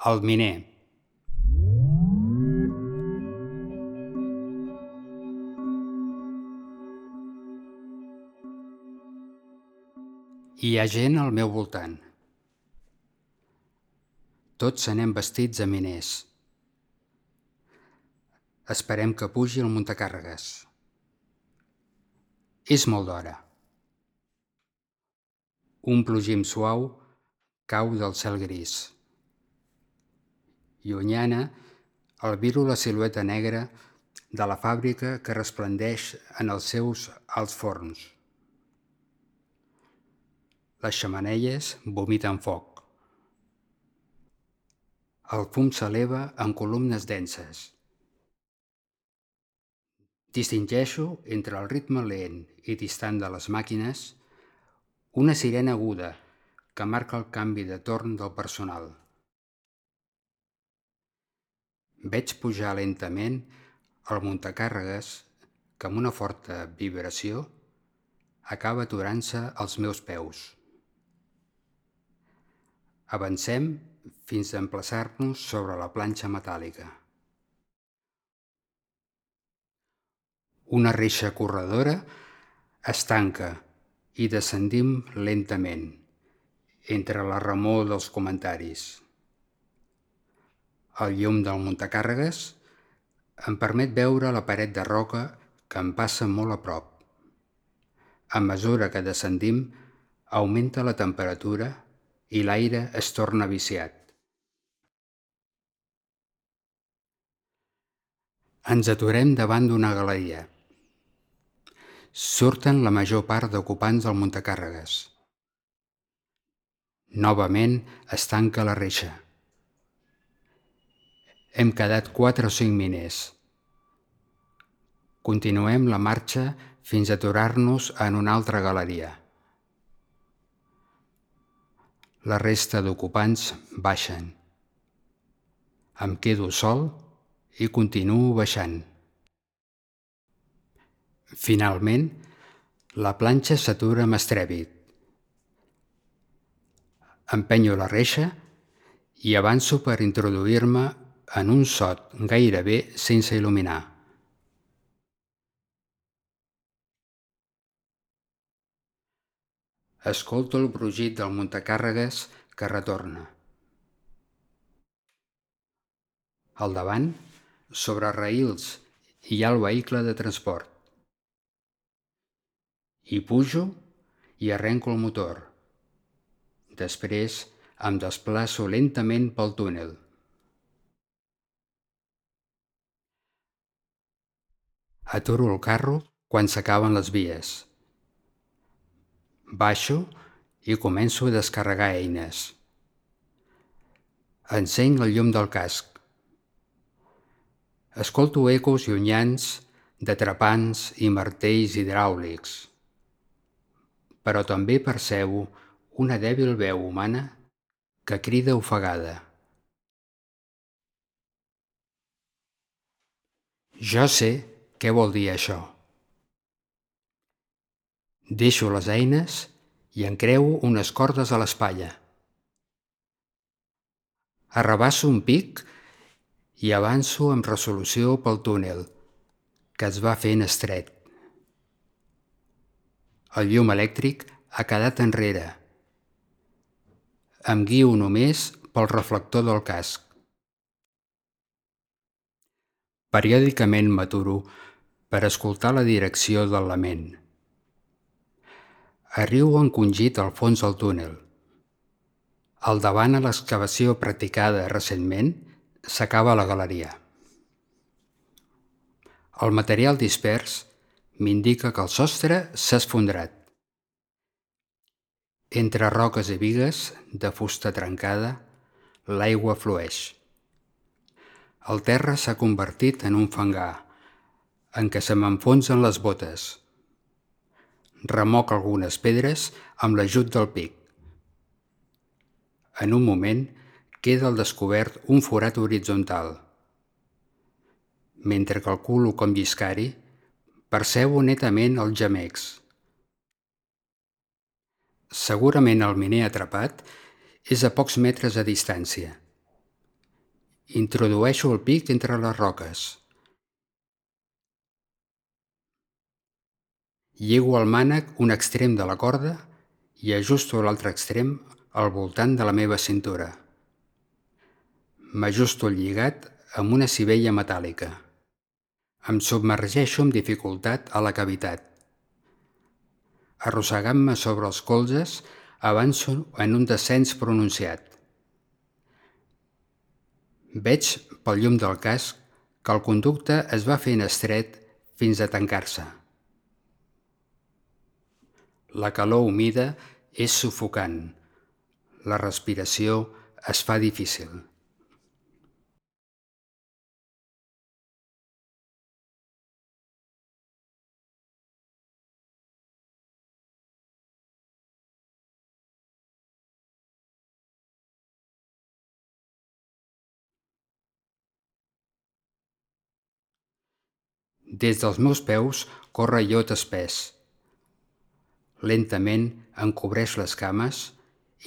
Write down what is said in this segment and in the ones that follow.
El miner. Hi ha gent al meu voltant. Tots anem vestits de miners. Esperem que pugi el muntacàrregues. És molt d'hora. Un plogim suau cau del cel gris. Llunyana, albiro la silueta negra de la fàbrica que resplendeix en els seus alts forns. Les xemeneies vomiten foc. El fum s'eleva en columnes denses. Distingeixo entre el ritme lent i distant de les màquines una sirena aguda que marca el canvi de torn del personal. Veig pujar lentament el muntacàrregues que amb una forta vibració acaba aturant-se als meus peus. Avancem fins a emplaçar-nos sobre la planxa metàl·lica. Una reixa corredora es tanca i descendim lentament, entre la remor dels comentaris. El llum del muntacàrregues em permet veure la paret de roca que em passa molt a prop. A mesura que descendim, augmenta la temperatura i l'aire es torna viciat. Ens aturem davant d'una galeria. Surten la major part d'ocupants del muntacàrregues. Novament es tanca la reixa. Hem quedat 4 o 5 miners. Continuem la marxa fins a aturar-nos en una altra galeria. La resta d'ocupants baixen. Em quedo sol i continuo baixant. Finalment, la planxa s'atura amb estrèpit. Empenyo la reixa i avanço per introduir-me en un sot gairebé sense il·luminar. Escolto el brugit del muntacàrregues que retorna. Al davant, sobre raïls, hi ha el vehicle de transport. Hi pujo i arrenco el motor. Després em desplaço lentament pel túnel. Aturo el carro quan s'acaben les vies. Baixo i començo a descarregar eines. Encenc el llum del casc. Escolto ecos llunyans de trepants i martells hidràulics, però també percebo una dèbil veu humana que crida ofegada. Jo sé què vol dir això. Deixo les eines i encreuo unes cordes a l'espatlla. Arrabasso un pic i avanço amb resolució pel túnel, que es va fent estret. El llum elèctric ha quedat enrere. Em guio només pel reflector del casc. Periòdicament m'aturo per escoltar la direcció del lament. Arribo encongit al fons del túnel. Al davant a l'excavació practicada recentment s'acaba la galeria. El material dispers m'indica que el sostre s'ha esfondrat. Entre roques i bigues de fusta trencada, l'aigua flueix. El terra s'ha convertit en un fangar, en què se m'enfonsen les botes. Remoc algunes pedres amb l'ajut del pic. En un moment queda al descobert un forat horitzontal. Mentre calculo com lliscar-hi, percebo netament els gemecs. Segurament el miner atrapat és a pocs metres de distància. Introdueixo el pic entre les roques. Lligo al mànec un extrem de la corda i ajusto l'altre extrem al voltant de la meva cintura. M'ajusto el lligat amb una sivella metàl·lica. Em submergeixo amb dificultat a la cavitat. Arrossegant-me sobre els colzes, avanço en un descens pronunciat. Veig, pel llum del casc, que el conducte es va fent estret fins a tancar-se. La calor humida és sufocant. La respiració es fa difícil. Des dels meus peus corre iot espès. Lentament em cobreix les cames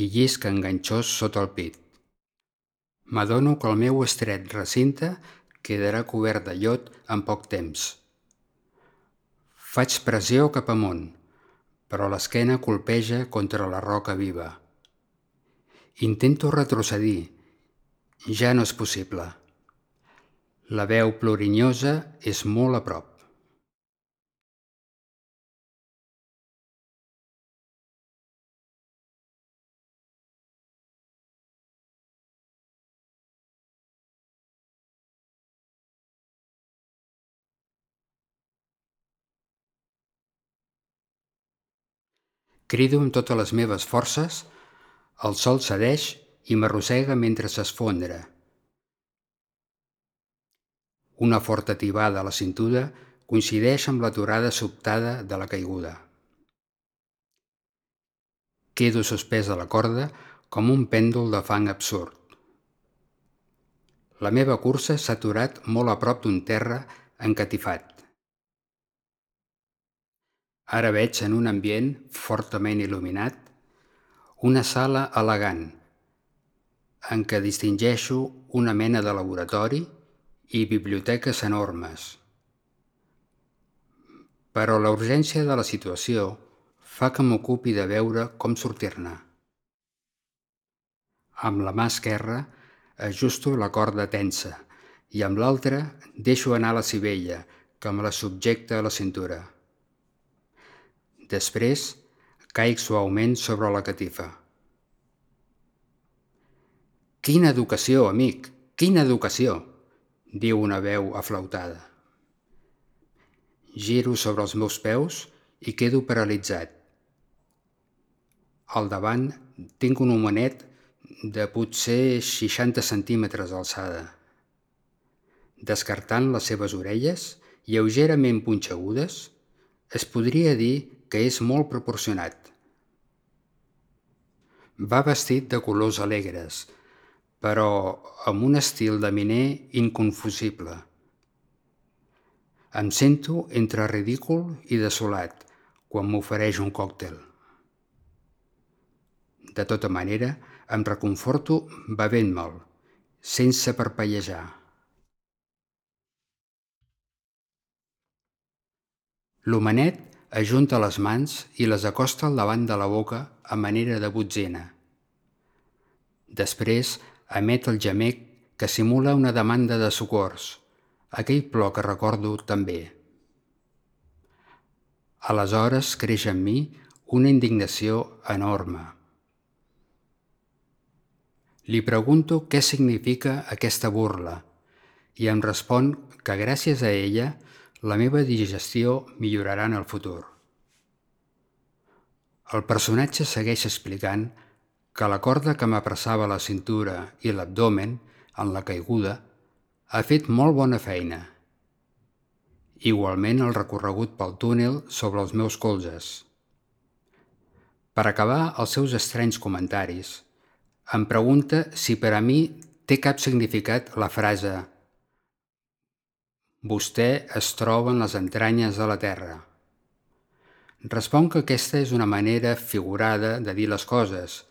i llisca enganxós sota el pit. M'adono que el meu estret recinte quedarà cobert de iot en poc temps. Faig pressió cap amunt, però l'esquena colpeja contra la roca viva. Intento retrocedir. Ja no és possible. La veu plorinyosa és molt a prop. Crido amb totes les meves forces, el sol cedeix i m'arrossega mentre s'esfondra. Una forta tibada a la cintura coincideix amb l'aturada sobtada de la caiguda. Quedo suspès a la corda com un pèndol de fang absurd. La meva cursa s'ha aturat molt a prop d'un terra encatifat. Ara veig en un ambient fortament il·luminat una sala elegant en què distingeixo una mena de laboratori i biblioteques enormes. Però la urgència de la situació fa que m'ocupi de veure com sortir-ne. Amb la mà esquerra ajusto la corda tensa i amb l'altra deixo anar la sivella que me la subjecta a la cintura. Després caic suaument sobre la catifa. «Quina educació, amic! Quina educació!», diu una veu aflautada. Giro sobre els meus peus i quedo paralitzat. Al davant tinc un homenet de potser 60 centímetres d'alçada. Descartant les seves orelles, lleugerament punxegudes, es podria dir que és molt proporcionat. Va vestit de colors alegres, però amb un estil de miner inconfusible. Em sento entre ridícul i desolat quan m'ofereix un còctel. De tota manera, em reconforto bevent-me'l, sense parpellejar. L'homenet ajunta les mans i les acosta al davant de la boca a manera de botzina. Després emet el gemec que simula una demanda de socors, aquell plor que recordo tan bé. Aleshores creix en mi una indignació enorme. Li pregunto què significa aquesta burla i em respon que gràcies a ella la meva digestió millorarà en el futur. El personatge segueix explicant que la corda que m'apressava la cintura i l'abdomen en la caiguda ha fet molt bona feina. Igualment el recorregut pel túnel sobre els meus colzes. Per acabar els seus estranys comentaris, em pregunta si per a mi té cap significat la frase «Vostè es troba en les entranyes de la terra». Responc que aquesta és una manera figurada de dir les coses,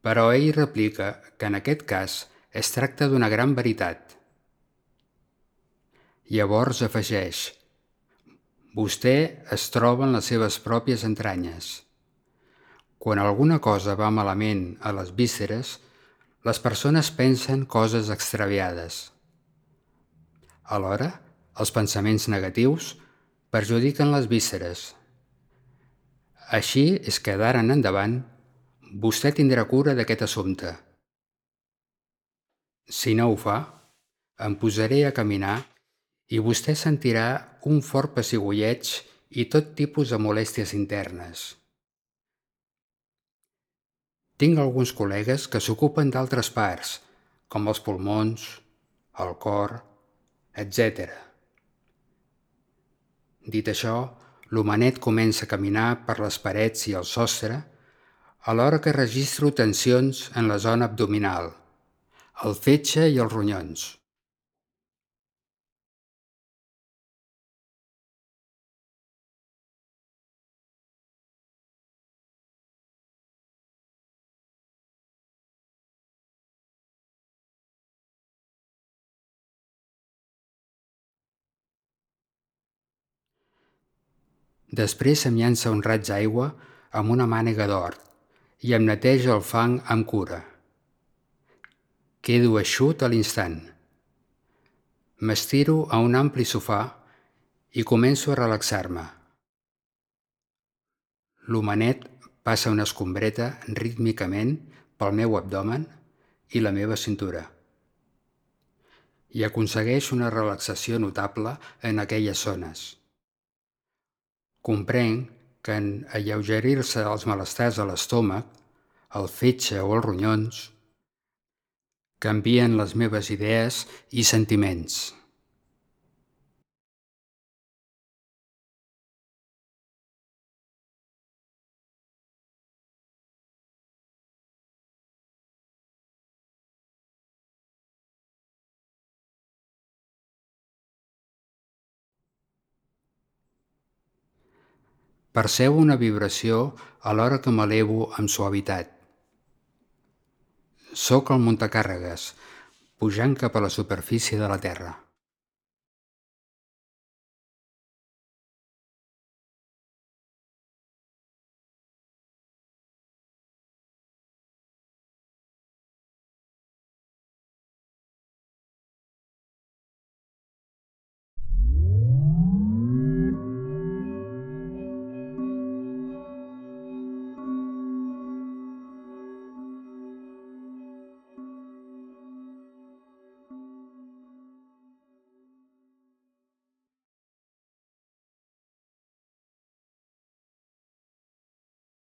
però ell replica que en aquest cas Es tracta d'una gran veritat. Llavors afegeix: vostè es troba en les seves pròpies entranyes. Quan alguna cosa va malament a les vísceres, les persones pensen coses extraviades. Alhora, els pensaments negatius perjudiquen les vísceres. Així és que d'ara en endavant vostè tindrà cura d'aquest assumpte. Si no ho fa, em posaré a caminar i vostè sentirà un fort pessigolleig i tot tipus de molèsties internes. Tinc alguns col·legues que s'ocupen d'altres parts, com els pulmons, el cor, etc. Dit això, l'homenet comença a caminar per les parets i el sostre, alhora que registro tensions en la zona abdominal, el fetge i els ronyons. Després em llança un raig d'aigua amb una mànega d'or i em neteja el fang amb cura. Quedo eixut a l'instant. M'estiro a un ampli sofà i començo a relaxar-me. L'homenet passa una escombreta rítmicament pel meu abdomen i la meva cintura i aconsegueix una relaxació notable en aquelles zones. Comprenc que en alleugerir-se els malestars a l'estómac, el fetge o els ronyons, canvien les meves idees i sentiments. Percebo una vibració alhora que m'elevo amb suavitat. Sóc el muntacàrregues, pujant cap a la superfície de la Terra.